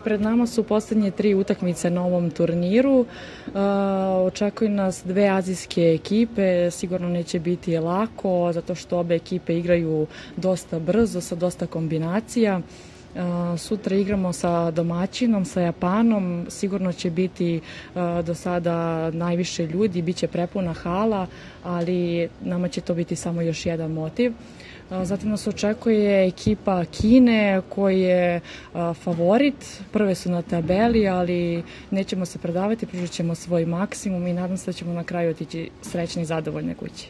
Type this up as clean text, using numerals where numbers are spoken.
pred nama su poslednje 3 utakmice na ovom turniru. Očekuju nas 2 azijske ekipe, sigurno neće biti lako, zato što obe ekipe igraju dosta brzo, sa dosta kombinacija. Sutra igramo sa domaćinom, sa Japanom, sigurno će biti do sada najviše ljudi, bit će prepuna hala, ali nama će to biti samo još jedan motiv. Zatim nas očekuje ekipa Kine koji je favorit, prve su na tabeli, ali nećemo se predavati, pružit ćemo svoj maksimum i nadam se da ćemo na kraju otići srećni i zadovoljne kući.